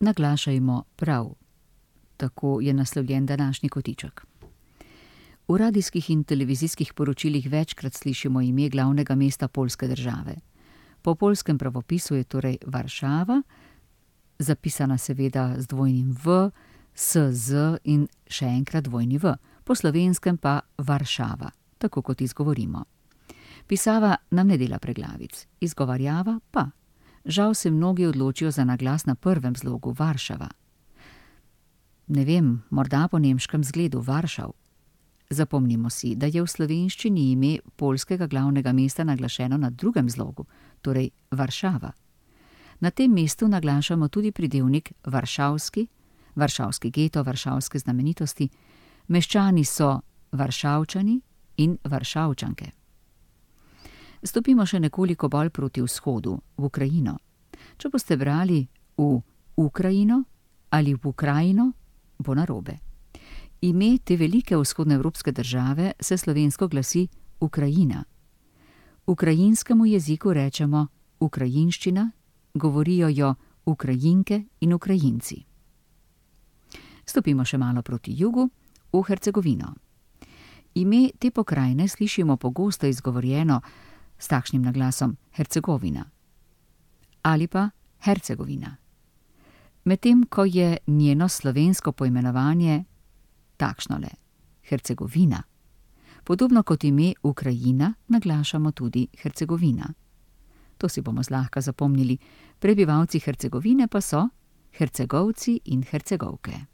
Naglašajmo prav. Tako je naslovljen današnji kotiček. V radijskih in televizijskih poročilih večkrat slišimo ime glavnega mesta poljske države. Po poljskem pravopisu je torej Varšava, zapisana seveda z dvojnim V, s z in še enkrat dvojni V, po slovenskem pa Varšava, tako kot izgovorimo. Pisava nam ne dela preglavic, izgovarjava pa. Žal se mnogi odločijo za naglas na prvem zlogu Varšava. Ne vem, morda po nemškem zgledu Varšav. Zapomnimo si, da je v slovenščini ime poljskega glavnega mesta naglašeno na drugem zlogu, torej Varšava. Na tem mestu naglašamo tudi pridevnik varšavski, varšavski geto, varšavske znamenitosti, meščani so Varšavčani in Varšavčanke. Stopimo še nekoliko bolj proti vzhodu, v Ukrajino. Če boste brali v Ukrajino ali v Ukrajino, bo narobe. Ime te velike vzhodnoevropske države se slovensko glasi Ukrajina. Ukrajinskemu jeziku rečemo ukrajinščina, govorijo jo Ukrajinke in Ukrajinci. Stopimo še malo proti jugu, v Hercegovino. Ime te pokrajine slišimo pogosto izgovorjeno s takšnim naglasom Hercegovina ali pa Hercegovina. Medtem ko je njeno slovensko poimenovanje takšnole, Hercegovina. Podobno kot ime Ukrajina naglašamo tudi Hercegovina. To si bomo zlahka zapomnili, prebivalci Hercegovine pa so Hercegovci in Hercegovke.